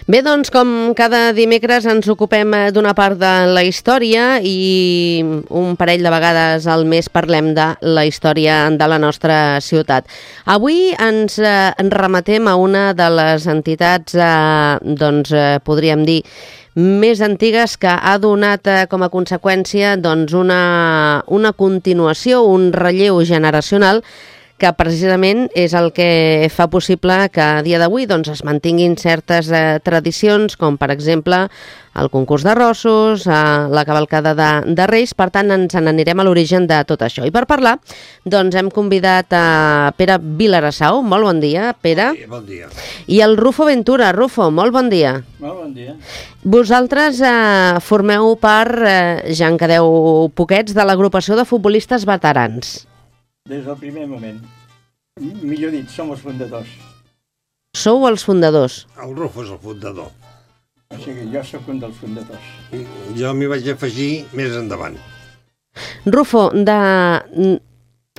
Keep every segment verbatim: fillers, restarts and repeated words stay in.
Bé, doncs, com cada dimecres ens ocupem d'una part de la història i un parell de vegades al mes parlem de la història de la nostra ciutat. Avui ens eh, remetem a una de les entitats, eh, doncs, eh, podríem dir, més antigues que ha donat eh, com a conseqüència doncs, una, una continuació, un relleu generacional que precisament és el que fa possible que a dia d'avui doncs, es mantinguin certes eh, tradicions, com per exemple el concurs de rossos, eh, la cavalcada de, de Reis. Per tant, ens n'anirem a l'origen de tot això. I per parlar, doncs hem convidat a Pere Vilarassau. Molt bon dia, Pere. Sí, bon dia. I el Rufo Ventura. Rufo, molt bon dia. Molt bon dia. Vosaltres eh, formeu part, eh, ja en quedeu poquets, de l'agrupació de futbolistes veterans. Des del primer moment. Millor dit, som els fundadors. Sou els fundadors. El Rufo és el fundador. O sigui, jo sóc un dels fundadors. Jo m'hi vaig afegir més endavant. Rufo, de...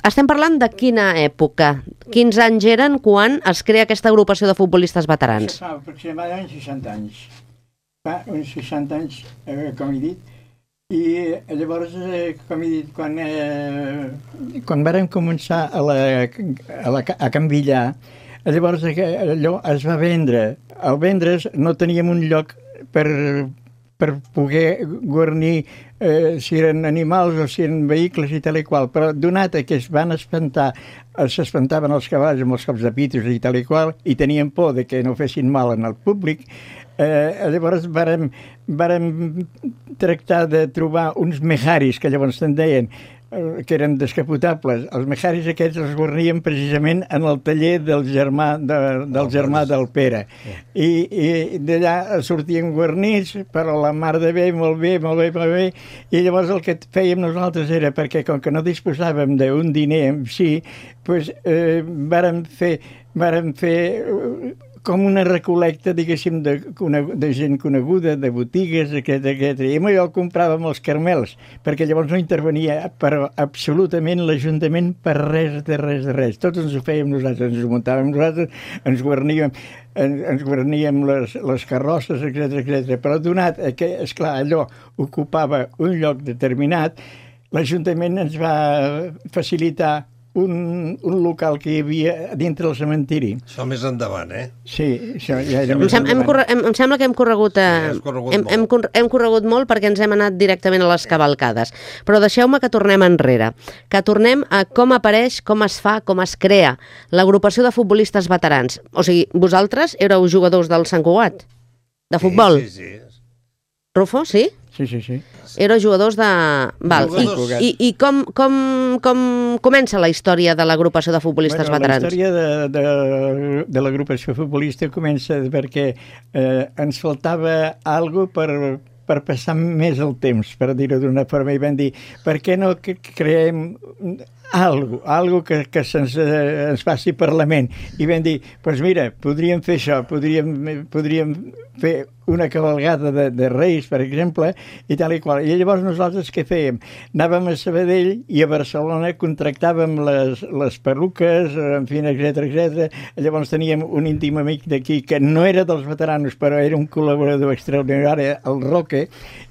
estem parlant de quina època? Quins anys eren quan es crea aquesta agrupació de futbolistes veterans? Això fa aproximadament seixanta anys. Fa uns seixanta anys, eh, com he dit, i llavors, eh, com he dit, quan, eh, quan vàrem començar a, la, a, la, a canvillar, llavors allò es va vendre. Al vendre's no teníem un lloc per, per poder guarnir eh, si eren animals o si eren vehicles i tal i qual, però donat que es van espantar, s'espantaven els cavalls amb els cops de pitos i tal i qual, i tenien por de que no fessin mal en el públic, Eh, llavors vàrem, vàrem tractar de trobar uns mejaris, que llavors se'n deien, eh, que eren descapotables. Els mejaris aquests els guarníem precisament en el taller del germà, de, del germà del Pere. I, i d'allà sortien guarnits, però la mar de bé, molt bé, molt bé, molt bé. I llavors el que fèiem nosaltres era, perquè com que no disposàvem d'un diner en si, doncs, eh, vàrem fer, vàrem fer com una recolecta, diguéssim, de, de gent coneguda, de botigues, etcètera, etcètera. I amb allò compràvem els caramels, perquè llavors no intervenia però absolutament l'Ajuntament per res, de res, de res. Tots ens ho fèiem nosaltres, ens ho muntàvem nosaltres, ens guarníem, ens, ens guarníem les, les carrosses, etcètera, etcètera. Però donat que, esclar, allò ocupava un lloc determinat, l'Ajuntament ens va facilitar Un, un local que hi havia dintre del cementiri. Això més endavant, eh? Sí, això ja era em, més sem hem corre em, em sembla que hem corregut, eh, sí, corregut hem, molt. hem, hem corregut molt perquè ens hem anat directament a les cavalcades. Però deixeu-me que tornem enrere, que tornem a com apareix, com es fa, com es crea l'agrupació de futbolistes veterans. O sigui, vosaltres éreu jugadors del Sant Cugat, de futbol? Sí, sí, sí. Rufo, sí? Sí, sí, sí. Éreu jugadors de... Val. Jugadors. I, i, i com, com, com comença la història de l'agrupació de futbolistes bueno, veterans? La història de, de, de l'agrupació futbolista comença perquè eh, ens faltava alguna per, per passar més el temps, per dir-ho d'una forma, i vam dir, per què no creem algo, algo que, que se'ns eh, ens passi per la ment. I vam dir, doncs pues mira, podríem fer això, podríem, podríem fer una cavalgada de, de Reis, per exemple, i tal i qual. I llavors nosaltres què fèiem? Anàvem a Sabadell i a Barcelona contractàvem les, les perruques, en fi, etcètera, etcètera. Llavors teníem un íntim amic d'aquí que no era dels veteranos, però era un col·laborador extraordinari, el Roque.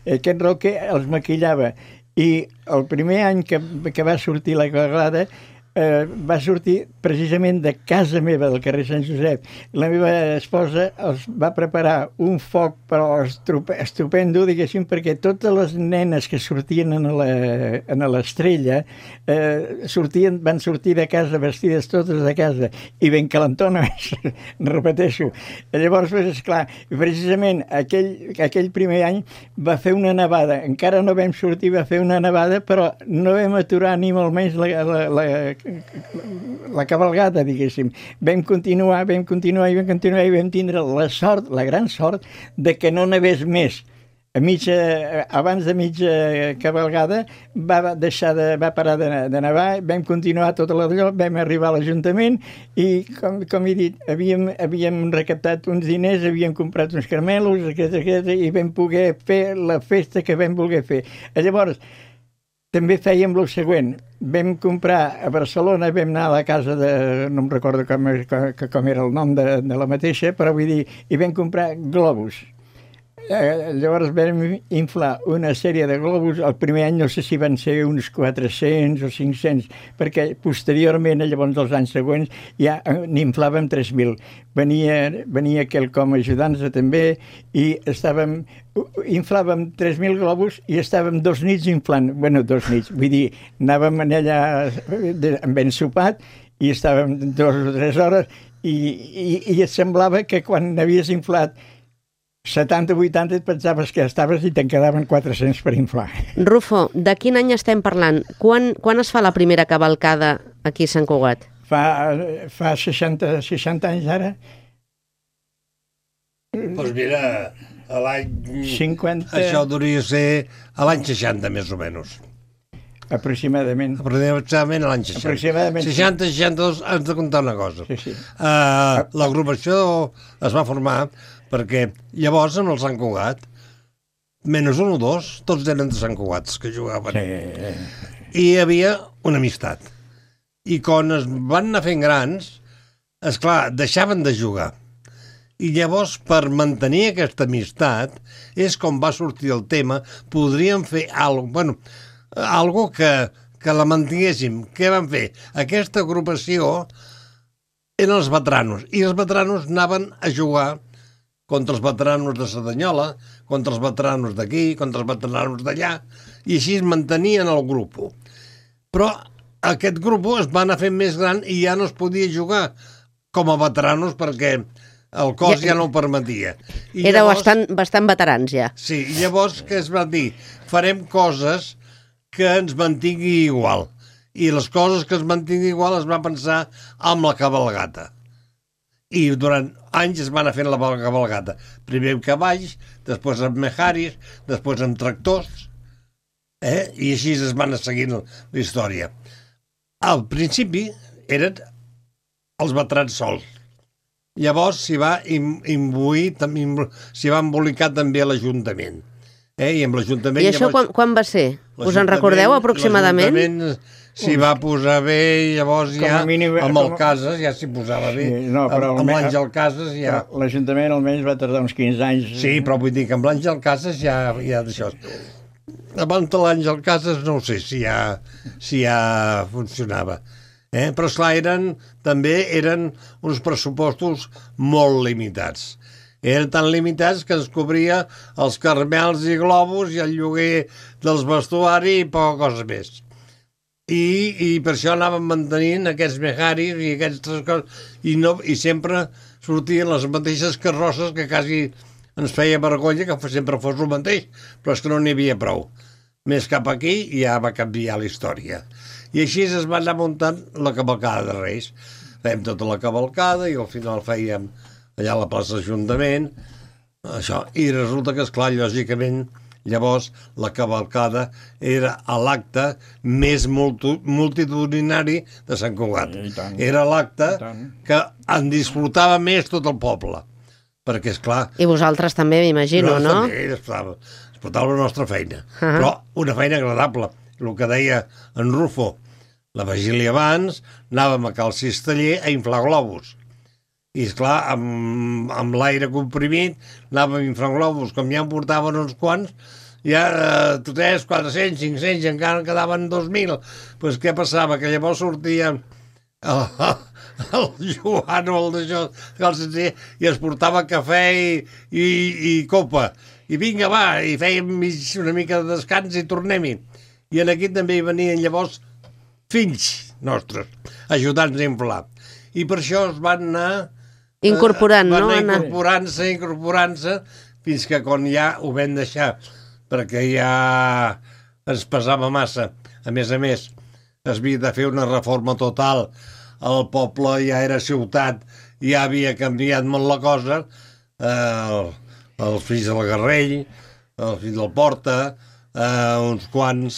Aquest Roque els maquillava. I el primer any que, que va sortir la cavalgada eh, va sortir precisament de casa meva, del carrer Sant Josep. La meva esposa els va preparar un foc, però estupendo, diguéssim, perquè totes les nenes que sortien en l'estrella eh, sortien, van sortir de casa vestides totes de casa i ben calentones, repeteixo. Llavors, pues, esclar, precisament aquell, aquell primer any va fer una nevada. Encara no vam sortir, va fer una nevada, però no vam aturar ni molt menys la, la, la la cavalgada, diguéssim. Vam continuar, vam continuar i vam continuar i vam tindre la sort, la gran sort, de que no n'havés més. A mitja, abans de mitja cavalgada va deixar de, va parar de, de nevar, vam continuar tot l'allò, vam arribar a l'Ajuntament i, com, com he dit, havíem, havíem recaptat uns diners, havíem comprat uns caramelos, etcètera, etcètera, i vam poder fer la festa que vam voler fer. Llavors, també fèiem el següent. Vam comprar a Barcelona, vam anar a la casa de... no em recordo com, com, com era el nom de, de la mateixa, però vull dir, i vam comprar globus. Eh, llavors vam inflar una sèrie de globus. El primer any no sé si van ser uns quatre-cents o cinc-cents, perquè posteriorment, llavors els anys següents, ja n'inflàvem tres mil. Venia, venia quelcom ajudant-nos també i estàvem... inflàvem tres mil globus i estàvem dos nits inflant. Bueno, dos nits, vull dir, anàvem allà amb ben sopat i estàvem dues o tres hores i, i, i et semblava que quan havies inflat setanta o vuitanta et pensaves que estaves i te'n quedaven quatre-cents per inflar. Rufo, de quin any estem parlant? Quan, quan es fa la primera cavalcada aquí a Sant Cugat? Fa, fa seixanta, seixanta anys ara? Doncs mira, a l'any... cinquanta... Això hauria de ser a l'any seixanta, més o menys. Aproximadament. Aproximadament a l'any seixanta. Aproximadament. seixanta seixanta-dos, has de comptar una cosa. Sí, sí. Uh, L'agrupació es va formar perquè llavors en el Sant Cugat, menys un o dos, tots eren de Sant Cugat que jugaven. Sí. I hi havia una amistat. I quan es van anar fent grans, esclar, deixaven de jugar. I llavors, per mantenir aquesta amistat, és com va sortir el tema, podríem fer alguna bueno, algo que, que la mantinguéssim. Què van fer? Aquesta agrupació eren els veteranos, i els veteranos anaven a jugar contra els veteranos de Cerdanyola, contra els veteranos d'aquí, contra els veteranos d'allà, i així es mantenien el grup. Però aquest grup es va anar fent més gran i ja no es podia jugar com a veteranos perquè el cos ja, ja no ho permetia. I Era llavors, bastant, bastant veterans ja. Sí, i llavors què es va dir? Farem coses que ens mantingui igual. I les coses que es mantingui igual es va pensar amb la cabalgata. I durant anys es van anar fent la cabalgata. Primer amb cavalls, després amb mejaris, després amb tractors, eh? I així es van anar seguint la història. Al principi eren els veterans sols. Llavors s'hi va imbuir, s'hi va embolicar també a l'Ajuntament. Eh? I amb l'Ajuntament... I això llavors, quan, quan va ser? Us en recordeu aproximadament? L'Ajuntament s'hi va posar bé, llavors ja mínim, amb el com... Cases ja s'hi posava bé. Sí, no, però amb, amb l'Àngel Cases ja... L'Ajuntament almenys va tardar uns quinze anys. Sí, però vull dir que amb l'Àngel Cases ja, ja d'això. Abans de l'Àngel Cases no ho sé si ja, si ja funcionava. Eh? Però esclar, eren, també eren uns pressupostos molt limitats. Eren tan limitats que es cobria els caramels i globus i el lloguer dels vestuaris i poca cosa més. I, i per això anàvem mantenint aquests mejaris i aquestes coses i, no, i sempre sortien les mateixes carrosses que quasi ens feia vergonya que sempre fos el mateix, però és que no n'hi havia prou. Més cap aquí i ja va canviar la història. I així es va anar muntant la cavalcada de Reis. Fèiem tota la cavalcada i al final fèiem allà a la plaça d'Ajuntament, això. I resulta que, esclar, lògicament, llavors la cavalcada era l'acte més multitudinari de Sant Cugat. Era l'acte que en disfrutava més tot el poble. Perquè, esclar... I vosaltres també, m'imagino, no? També, disfrutava la nostra feina. Uh-huh. Però una feina agradable. El que deia en Rufo, la vigília abans, anàvem a Cal Cisteller a inflar globus. I, esclar, amb, amb l'aire comprimit, anàvem inflant globus, com ja en portaven uns quants, ja eh, tres, quatre-cents, cinc-cents, i encara en quedaven dos mil. Doncs pues, què passava? Que llavors sortia el, el Joan o el d'això, i es portava cafè i, i, i copa. I vinga, va, i fèiem una mica de descans i tornem-hi. I en aquí també hi venien llavors fills nostres, ajudant-nos a inflar. I per això es van anar... Incorporant, van no? Van anar incorporant-se, incorporant-se, fins que quan ja ho vam deixar, perquè ja ens pesava massa. A més a més, es havia de fer una reforma total. El poble ja era ciutat, ja havia canviat molt la cosa. El, el fill del Garrell, el fill del Porta... Uh, uns quants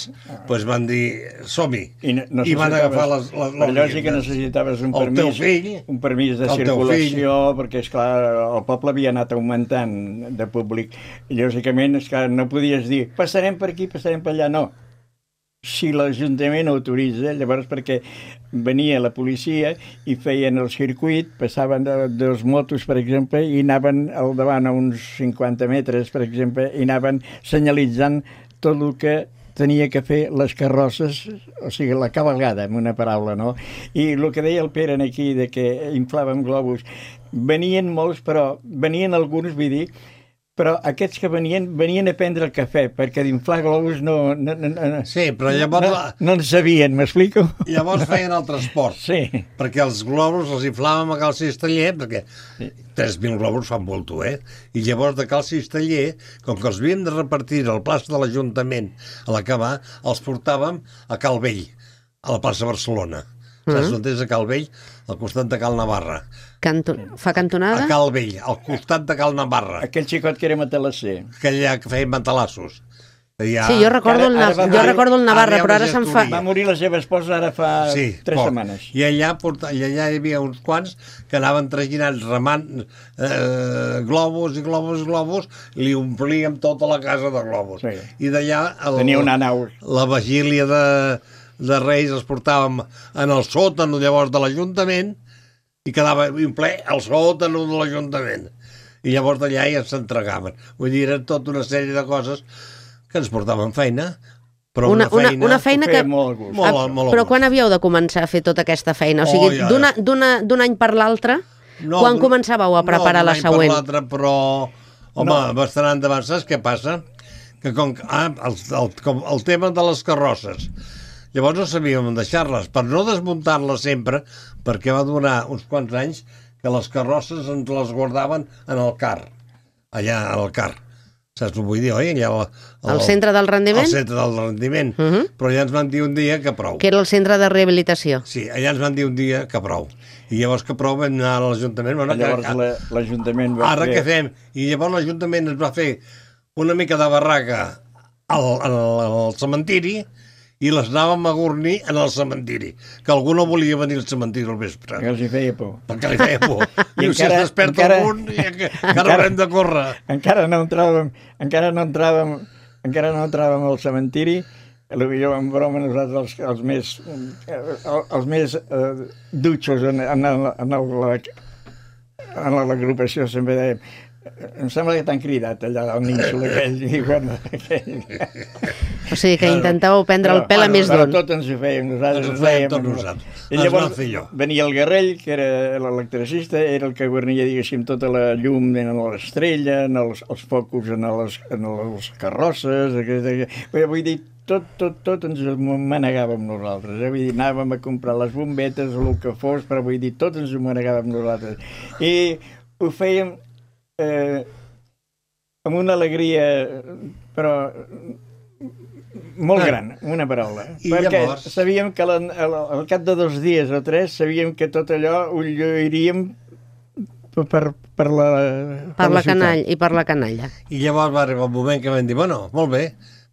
pues, van dir som-hi i, no I van agafar les, les, les lògic que necessitaves un permís, fill, un permís de circulació perquè esclar, el poble havia anat augmentant de públic i lògicament esclar, no podies dir passarem per aquí, passarem per allà, no si l'Ajuntament autoritza, llavors perquè venia la policia i feien el circuit, passaven de, dels motos, per exemple, i anaven al davant a uns cinquanta metres, per exemple, i anaven senyalitzant tot el que tenia que fer les carrosses, o sigui, la cavalgada, en una paraula, no? I el que deia el Pere aquí, de que inflàvem globus, venien molts, però venien alguns, vull dir, però aquests que venien, venien a prendre el cafè, perquè d'inflar globus no... no, no, no sí, però llavors... No, no en sabien, m'explico? Llavors feien el transport. Sí. Perquè els globus els inflàvem a Cal Cisteller, perquè sí. tres mil globus fan molto, eh? I llavors de Cal Cisteller, com que els havíem de repartir al plaça de l'Ajuntament a l'acabar, els portàvem a Cal Vell, a la plaça Barcelona. Mm -hmm. Saps on és a Cal Vell? Al costat de Cal Navarra. Canto... Fa cantonada? A Cal Vell, al costat de Cal Navarra. Aquell xicot que era matalasser. Aquell allà que feien matalassos. Ja... Sí, jo recordo, ara, ara el, jo recordo el Navarra, ara però ara se'n fa... Va morir la seva esposa ara fa sí, tres poc. setmanes. I allà, porta... I allà hi havia uns quants que anaven traginant, remant eh, globus i globus i globus, i li omplíem tota la casa de globus. Sí. I d'allà... El... Tenia una nau. La vigília de... de Reis els portàvem en el sòtan llavors de l'Ajuntament i quedava un ple al sòtan de l'Ajuntament i llavors d'allà ja s'entregaven. Vull dir, era tota una sèrie de coses que ens portaven feina, però una, una feina... Una feina que... Molt, molt, molt però quan havíeu de començar a fer tota aquesta feina? O sigui, oh, ja, ja. d'un any per l'altre, no, quan començàveu a preparar no, la següent? No, d'un any per l'altre, però... Home, no. bastant endavant, saps què passa? Que com... Ah, el, el, com el tema de les carrosses. Llavors no sabíem deixar-les, per no desmuntar-les sempre, perquè va durar uns quants anys que les carrosses ens les guardaven en el car, allà al car. Saps què vull dir, oi? Allà, el, el centre del rendiment? El centre del rendiment. Uh -huh. Però allà ens van dir un dia que prou. Que era el centre de rehabilitació. Sí, allà ens van dir un dia que prou. I llavors que prou vam anar a l'Ajuntament. Bueno, llavors l'Ajuntament va Ara fer... què fem? I llavors l'Ajuntament ens va fer una mica de barraca al, al, al cementiri i les anàvem a gornir en el cementiri, que algú no volia venir al cementiri al vespre. Perquè els hi feia por. Perquè li feia por. I, I si es desperta encara, algun, i encara haurem de córrer. Encara no entràvem, encara no entràvem, encara no entràvem al cementiri, potser en broma nosaltres els, els més, els més uh, dutxos en, en, en, en l'agrupació sempre dèiem em sembla que t'han cridat allà al nínxol aquell, i bueno, aquell... O sigui que intentàveu prendre el pèl a més d'un. Però tot ens ho fèiem, nosaltres ens ho fèiem tot nosaltres. I llavors venia el Garrell, que era l'electricista, era el que guarnia, diguéssim, tota la llum en l'estrella, en els, els focus, en les, en les carrosses, vull dir, tot, tot, tot ens ho manegàvem nosaltres, eh? Vull dir, anàvem a comprar les bombetes o el que fos, però vull dir, tot ens ho manegàvem nosaltres. I ho fèiem Eh, amb una alegria, però molt gran, una paraula. I perquè llavors... sabíem que al, al cap de dos dies o tres sabíem que tot allò ho lluiríem per, per la per, per la, la canalla i per la canalla. I llavors va arribar un moment que vam dir, bueno, molt bé,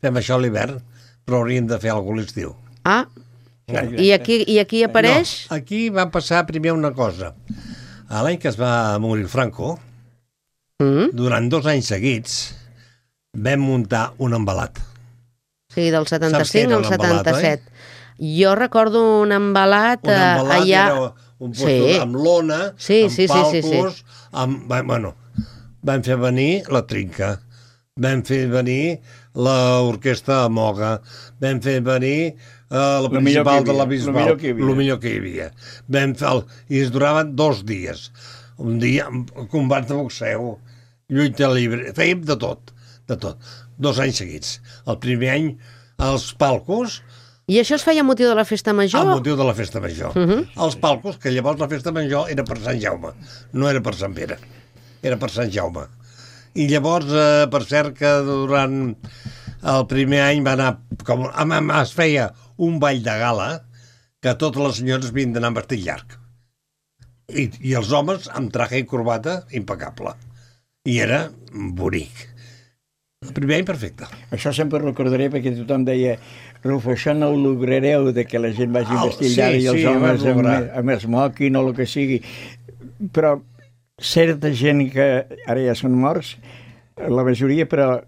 fem això a l'hivern, però hauríem de fer alguna cosa a l'estiu. Ah, i aquí, i aquí apareix? No, aquí va passar primer una cosa. L'any que es va morir Franco, Mm. durant dos anys seguits vam muntar un embalat. Sí, del setanta-cinc al setanta-set. Eh? Jo recordo un embalat, un embalat allà... Era un postor sí. amb lona, sí, amb sí, palcos, sí, sí, sí. amb... Bueno, vam fer venir la Trinca, vam fer venir l'orquestra Moga, vam fer venir uh, la principal de la Bisbal, el millor que hi havia. Vam fer el... I es duraven dos dies. Un dia, combat de boxeu, lluita llibre, fèiem de tot, de tot. Dos anys seguits. El primer any, els palcos... I això es feia a motiu de la festa major? A motiu de la festa major. Uh -huh. Els palcos, que llavors la festa major era per Sant Jaume, no era per Sant Pere, era per Sant Jaume. I llavors, eh, per cert, que durant el primer any va anar... Com, es feia un ball de gala que totes les senyores havien d'anar amb vestit llarg. I, i els homes amb traje i corbata impecable. I era bonic. El primer any perfecte. Això sempre recordaré perquè tothom deia Rufo, això no ho lograreu de que la gent vagi oh, vestit sí, llarg i els sí, homes amb, amb smoking o el que sigui. Però certa gent que ara ja són morts, la majoria, però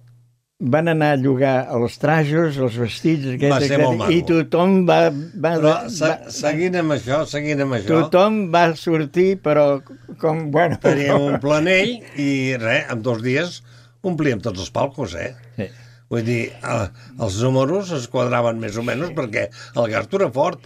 van anar a llogar els trajos, els vestits, aquest, Va ser aquest, molt maco. i tothom va... va, Però va se, seguint amb això, seguint amb això, tothom va sortir, però com... Bueno, teníem un planell i res, en dos dies omplíem tots els palcos, eh? Sí. Vull dir, eh, els números es quadraven més o menys perquè el gasto era fort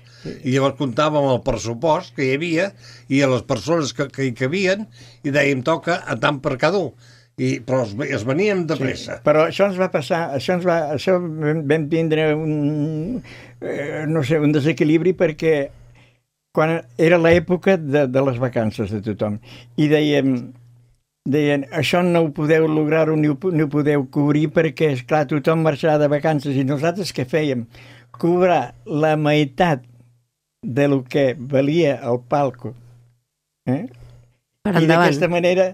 i llavors comptàvem el pressupost que hi havia i a les persones que, que hi cabien i dèiem toca a tant per cada un. I, però es, es veníem de pressa. Sí, però això ens va passar, això ens va, això vam tindre un, eh, no sé, un desequilibri perquè quan era l'època de, de les vacances de tothom i dèiem, deien, això no ho podeu lograr-ho ni, ni ho podeu cobrir perquè, esclar, tothom marxarà de vacances i nosaltres què fèiem? Cobrar la meitat de lo que valia el palco. Eh? Per I endavant. d'aquesta manera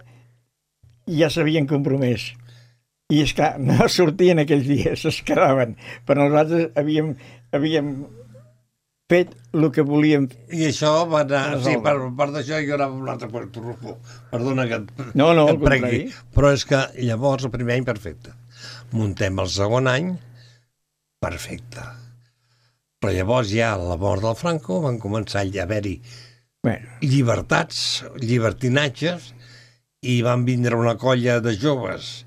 ja s'havien compromès. I, esclar, no sortien aquells dies, es quedaven. Però nosaltres havíem, havíem fet el que volíem. I això va anar... Sí, per part d'això jo anava a un altre puesto, Rufo. Perdona que et, No, no, que al et pregui. contrari. Però és que llavors, el primer any, perfecte. Muntem el segon any, perfecte. Però llavors ja a la mort del Franco van començar a haver-hi Bueno, llibertats, llibertinatges, i van vindre una colla de joves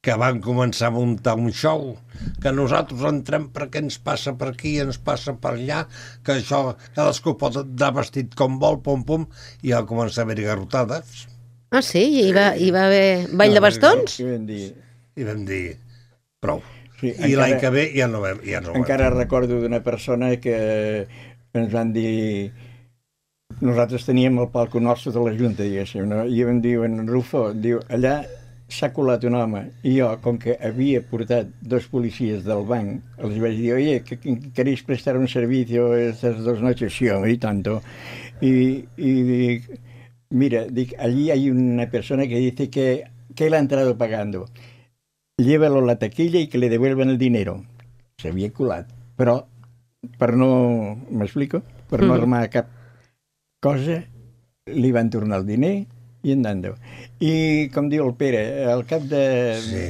que van començar a muntar un show, que nosaltres entrem perquè ens passa per aquí, ens passa per allà, que això, cadascú pot anar vestit com vol, pom, pom, i va començar a haver-hi garrotades. Ah, sí? Hi va, hi va haver ball de bastons? què vam dir? I vam dir, prou. Sí, I l'any que ve ja no vam, ja no vam. Encara recordo d'una persona que ens van dir... Nosaltres teníem el palco nostre de la Junta, diguéssim, no? I em diuen, Rufo, diu, allà s'ha colat un home, i jo, com que havia portat dos policies del banc, els vaig dir, oye, que, que queréis prestar un servicio estas dos noches? Sí, home, y tanto. Y, y dic, mira, dic, allí hay una persona que dice que, que él ha entrado pagando. Llévalo a la taquilla y que le devuelvan el dinero. S'havia colat, però per no, m'explico, per no armar cap cosa, li van tornar el diner i andant. I, com diu el Pere, al cap de, Sí,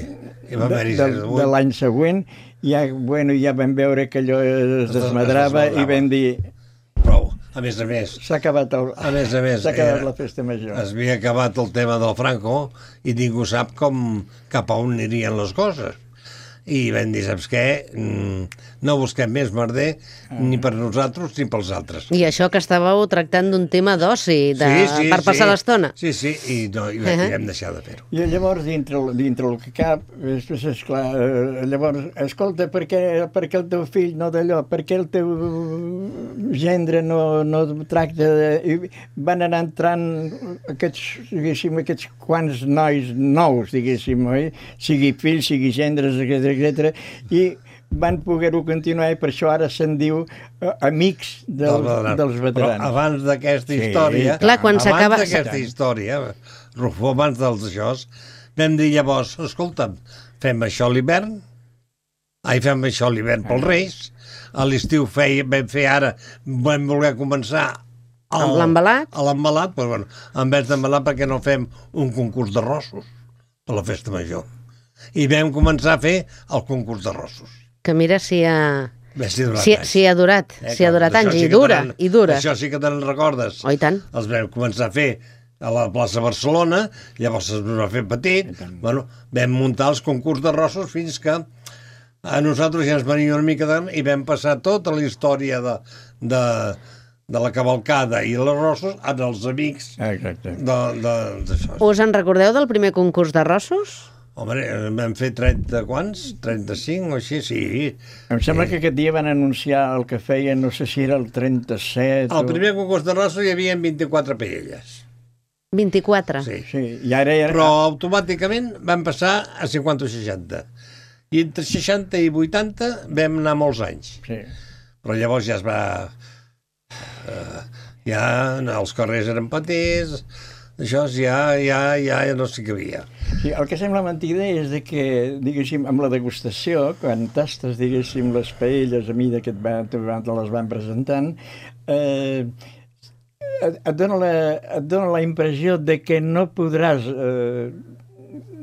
i va de, haver-hi de, zero vuit. de l'any següent, ja, bueno, ja vam veure que allò es Es desmadrava desmadrava. i vam dir, Prou. A més a més, s'ha acabat, el, a més a més, s'ha acabat era- la festa major. es havia acabat el tema del Franco i ningú sap com, cap a on anirien les coses. I vam dir, saps què? Mm, no busquem més merder ni per nosaltres ni pels altres. I això que estàveu tractant d'un tema d'oci, de... per passar l'estona. Sí, sí, i, no, i, uh-huh. i vam deixar de fer-ho. I llavors, dintre, dintre el que cap, després, esclar, eh, llavors, escolta, per què, per què el teu fill no d'allò? Per què el teu gendre no, no tracta de... I van anar entrant aquests, diguéssim, aquests quants nois nous, diguéssim, oi? Sigui fills, sigui gendres, etcètera, etcètera, i van poder-ho continuar i per això ara se'n diu eh, amics dels, Del- dels veterans. Però abans d'aquesta Sí, història, clar, quan abans s'acaba- d'aquesta història, Rufo, abans dels això, vam dir llavors, escolta'm, fem això a l'hivern, ai, fem això a l'hivern pels Reis, a l'estiu feia, vam fer ara, vam voler començar el, Amb l'embalat? A l'embalat, però bueno, en vez d'embalat, perquè no fem un concurs d'arrossos per la festa major. I vam començar a fer el concurs d'arrossos. Que mira si ha, Bé, si ha durat si, anys. si ha durat, Eh, si ha durat d'això anys, sí i que dura, te'n- i dura. Això sí que te'n recordes. Oh, i tant. Els vam començar a fer a la plaça Barcelona, llavors es va fer petit, bueno, vam muntar els concurs d'arrossos fins que a nosaltres ja ens venia una mica de... i vam passar tota la història de, de, de la cavalcada i els arrossos en els amics Exacte. de, de, d'això. Us en recordeu del primer concurs d'arrossos? Home, vam fer trenta quants? trenta-cinc o així? Sí. Em sembla que aquest dia van anunciar el que feien, no sé si era el trenta-set... Al primer concurs d'arrossos hi havia vint-i-quatre paelles. vint-i-quatre. Sí. Sí, i ara... era... Però automàticament vam passar a cinquanta o seixanta. I entre seixanta i vuitanta vam anar molts anys. Sí. Però llavors ja es va... Uh, ja els carrers eren petits, això ja, ja, ja no s'hi cabia. Sí, el que sembla mentida és de que, diguéssim, amb la degustació, quan tastes, diguéssim, les paelles a mida que et, van, te les van presentant, eh, et, et, dona la, et dona la impressió de que no podràs eh,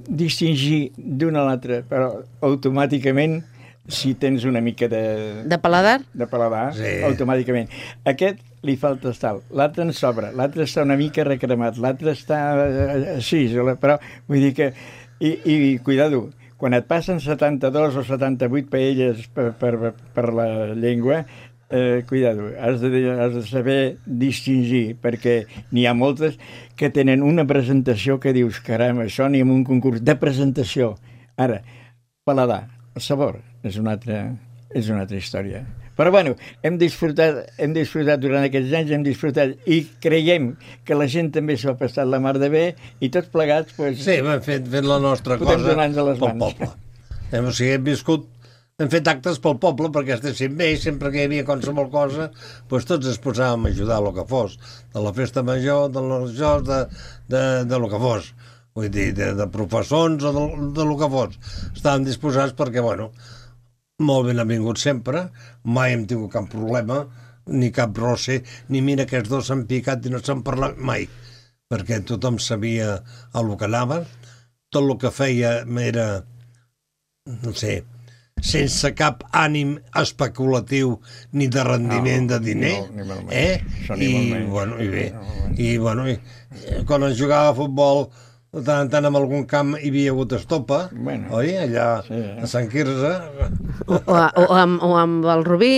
distingir d'una a l'altra, però automàticament, si tens una mica de... De paladar? De paladar, sí. Automàticament. Aquest li falta tal, l'altre en sobra, l'altre està una mica recremat, l'altre està així, però vull dir que... I, i cuidado, quan et passen setanta-dos o setanta-vuit paelles per, per, per la llengua, eh, cuidado, has de, has de saber distingir, perquè n'hi ha moltes que tenen una presentació que dius, caram, això ni en un concurs de presentació. Ara, paladar, el sabor, és una altra, és una altra història. Però, bueno, hem disfrutat, hem disfrutat durant aquests anys, hem disfrutat i creiem que la gent també s'ho ha passat la mar de bé i tots plegats, doncs... Sí, hem fet, fet la nostra podem cosa donar-nos a les pel mans. poble. Hem, o sigui, hem viscut, hem fet actes pel poble perquè estéssim bé i sempre que hi havia qualsevol cosa, doncs tots es posàvem a ajudar a lo que fos, de la festa major, de les jocs, de, de, de lo que fos. Vull dir, de, de professors o de, de lo que fos. Estàvem disposats perquè, bueno, molt ben vingut sempre, mai hem tingut cap problema, ni cap roce, ni mira que els dos s'han picat i no s'han parlat mai, perquè tothom sabia el que anava, tot el que feia era, no sé, sense cap ànim especulatiu ni de rendiment no, de diner, no, ni molt eh? Això ni I, molt menys. bueno, i bé, No, i, bueno, i, quan es jugava a futbol, de tant en tant en algun camp hi havia hagut estopa, Bueno, oi? Allà sí, eh? a Sant Quirze. O, o, o, amb, o amb el Rubí?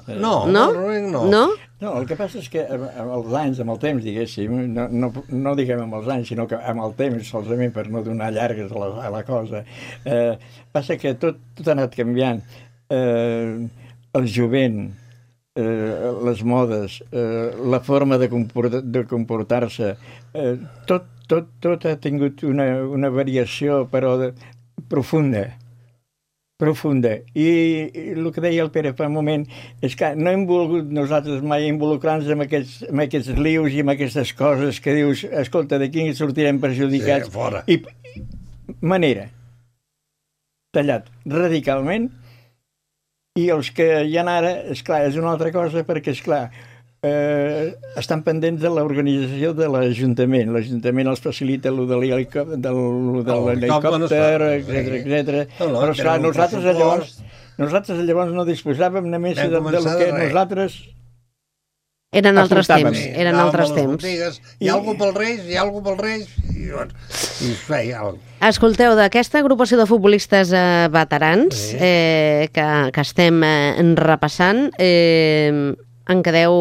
No, No? el Rubén no. No? No, el que passa és que amb, amb els anys, amb el temps, diguéssim, no, no, no diguem amb els anys, sinó que amb el temps, solament per no donar llargues a la, a la cosa, eh, passa que tot, tot ha anat canviant. Eh, el jovent, eh, les modes, eh, la forma de, comport, de comportar-se, eh, tot, tot, tot ha tingut una, una variació, però de, profunda. profunda. I, I el que deia el Pere fa un moment és que no hem volgut nosaltres mai involucrar-nos en aquests, en aquests lius i en aquestes coses que dius, escolta, d'aquí sortirem perjudicats. Sí, fora. I, I manera. Tallat radicalment. I els que hi ha ara, esclar, és una altra cosa, perquè, esclar, eh, estan pendents de l'organització de l'Ajuntament. L'Ajuntament els facilita allò de l'helicòpter, etcètera, etcètera. Però, esclar, nosaltres llavors, nosaltres llavors no disposàvem només de, de lo que nosaltres... Eren altres aportàvem. temps, eren altres temps. Botigues, hi ha algú pel Reis, hi ha algú pel Reis, i, bueno, i es feia alguna cosa. Escolteu, d'aquesta agrupació de futbolistes eh, veterans Sí. eh, que, que estem eh, repassant, eh, en quedeu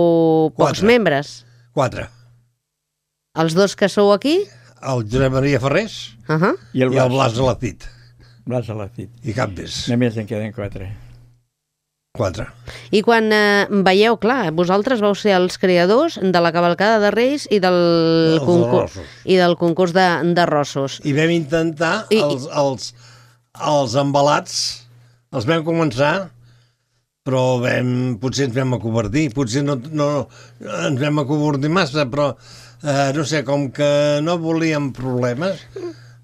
pocs Quatre. membres. Quatre. Els dos que sou aquí? El Josep Maria Ferrés Uh -huh. I el i el Blas, Blas Alacit. Blas Alacit. I cap més. Només en queden quatre. Quatre. I quan eh, veieu, clar, vosaltres vau ser els creadors de la cavalcada de Reis i del, Els concurs, arrossos. i del concurs de, de rossos. I vam intentar, I- els, els, els embalats, els vam començar, però vam, potser ens vam acovardir, potser no, no ens vam acovardir massa, però eh, no sé, com que no volíem problemes,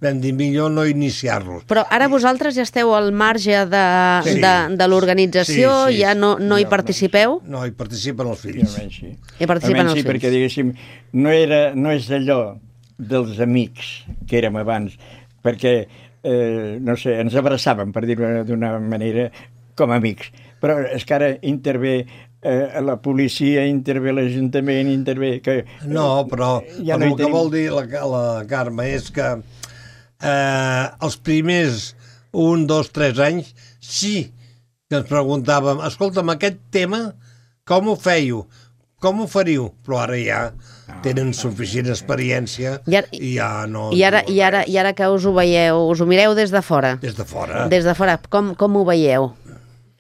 vam dir millor no iniciar-los. Però ara vosaltres ja esteu al marge de, Sí. de, de l'organització, Sí, sí, ja no, no hi sí, participeu? No, hi participen els I fills. almenys sí. Hi participen Almenys els sí, fills. perquè, diguéssim, no, era, no és allò dels amics que érem abans, perquè, eh, no sé, ens abraçàvem, per dir-ho d'una manera, com a amics. Però és que ara intervé eh, la policia, intervé l'Ajuntament, intervé... Que, No, però, Ja però no hi el que tenim. vol dir la, la Carme és que eh, els primers un, dos, tres anys sí que ens preguntàvem, escolta'm, aquest tema, com ho fèieu? Com ho faríeu? Però ara ja tenen suficient experiència I ara- i ja no... I ara, diuen i, ara, res. I ara que us ho veieu, us ho mireu des de fora? Des de fora. Des de fora, com, com ho veieu?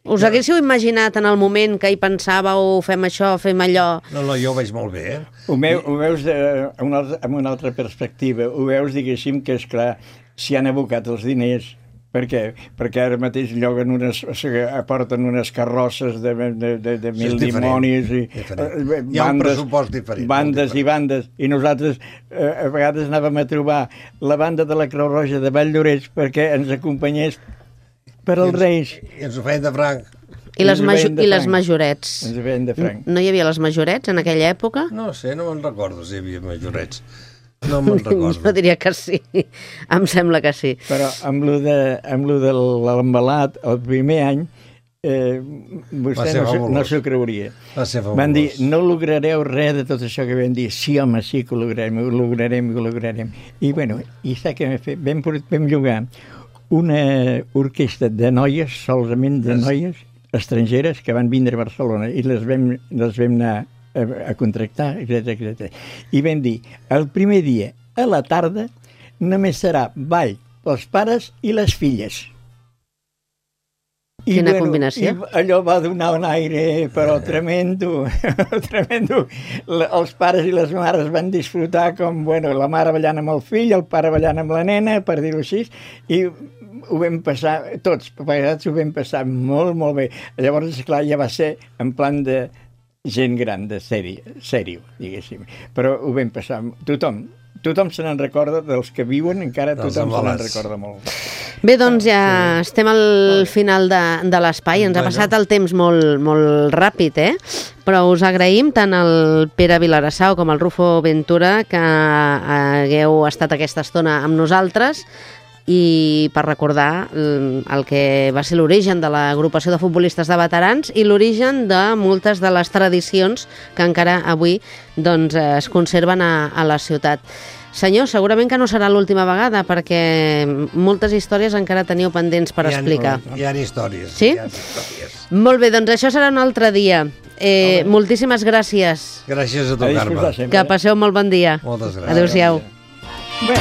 Us haguéssiu imaginat en el moment que hi pensàveu, fem això, fem allò... No, no, jo ho veig molt bé, eh? Ho, meu, ho veus de, amb, una altra, amb una altra perspectiva. Ho veus, diguéssim, que, és clar, s'hi han abocat els diners. Per què? Perquè ara mateix lloguen unes, o sigui, aporten unes carrosses de, de, de, de mil Sí, és diferent, dimonis i diferent. eh, Hi ha un pressupost diferent, molt bandes i diferent. bandes. I nosaltres eh, a vegades anàvem a trobar la banda de la Creu Roja de Valldoreix perquè ens acompanyés per als Reis. I ens ho feien de franc. I les, Ens ho maju veien de i les franc. majorets? Ens veien de franc. No hi havia les majorets en aquella època? No sé, no me'n recordo si hi havia majorets. No me'n recordo. Jo diria que sí, em sembla que sí. Però amb lo de, amb lo de l'embalat, el primer any, eh, vostè no, no s'ho creuria. Va ser fabulós. Van dir, no lograreu res de tot això que vam dir. Sí, home, sí que ho lograrem, ho lograrem, ho lograrem. I, bueno, i sap què vam fer? Vam, vam jugar una orquestra de noies, solament de noies estrangeres, que van vindre a Barcelona, i les vam, les vam anar a, a contractar, etcètera, etcètera. I vam dir, el primer dia, a la tarda, només serà ball pels pares i les filles. I, Quina bueno, combinació. I allò va donar un aire, però tremendo, tremendo. Els pares i les mares van disfrutar com, bueno, la mare ballant amb el fill, el pare ballant amb la nena, per dir-ho així, i ho vam passar, tots plegats ho vam passar molt, molt bé. Llavors, esclar, ja va ser en plan de gent gran, de sèrio, sèrio, diguéssim. Però ho vam passar, tothom, tothom se n'en recorda, dels que viuen encara tothom se n'en recorda molt. Bé, doncs ja sí. Estem al final de, de l'espai, ens ha passat el temps molt, molt ràpid, eh? Però us agraïm tant el Pere Vilarassau com el Rufo Ventura que hagueu estat aquesta estona amb nosaltres, i per recordar el que va ser l'origen de l'agrupació de futbolistes de veterans i l'origen de moltes de les tradicions que encara avui doncs, es conserven a, a la ciutat. Senyor, segurament que no serà l'última vegada, perquè moltes històries encara teniu pendents per hi ha, explicar. Hi ha històries. Sí? Hi ha històries. Molt bé, doncs això serà un altre dia. Eh, moltíssimes gràcies. Gràcies a tu, Carme. Que passeu molt bon dia. Moltes gràcies. Adéu-siau. Bé.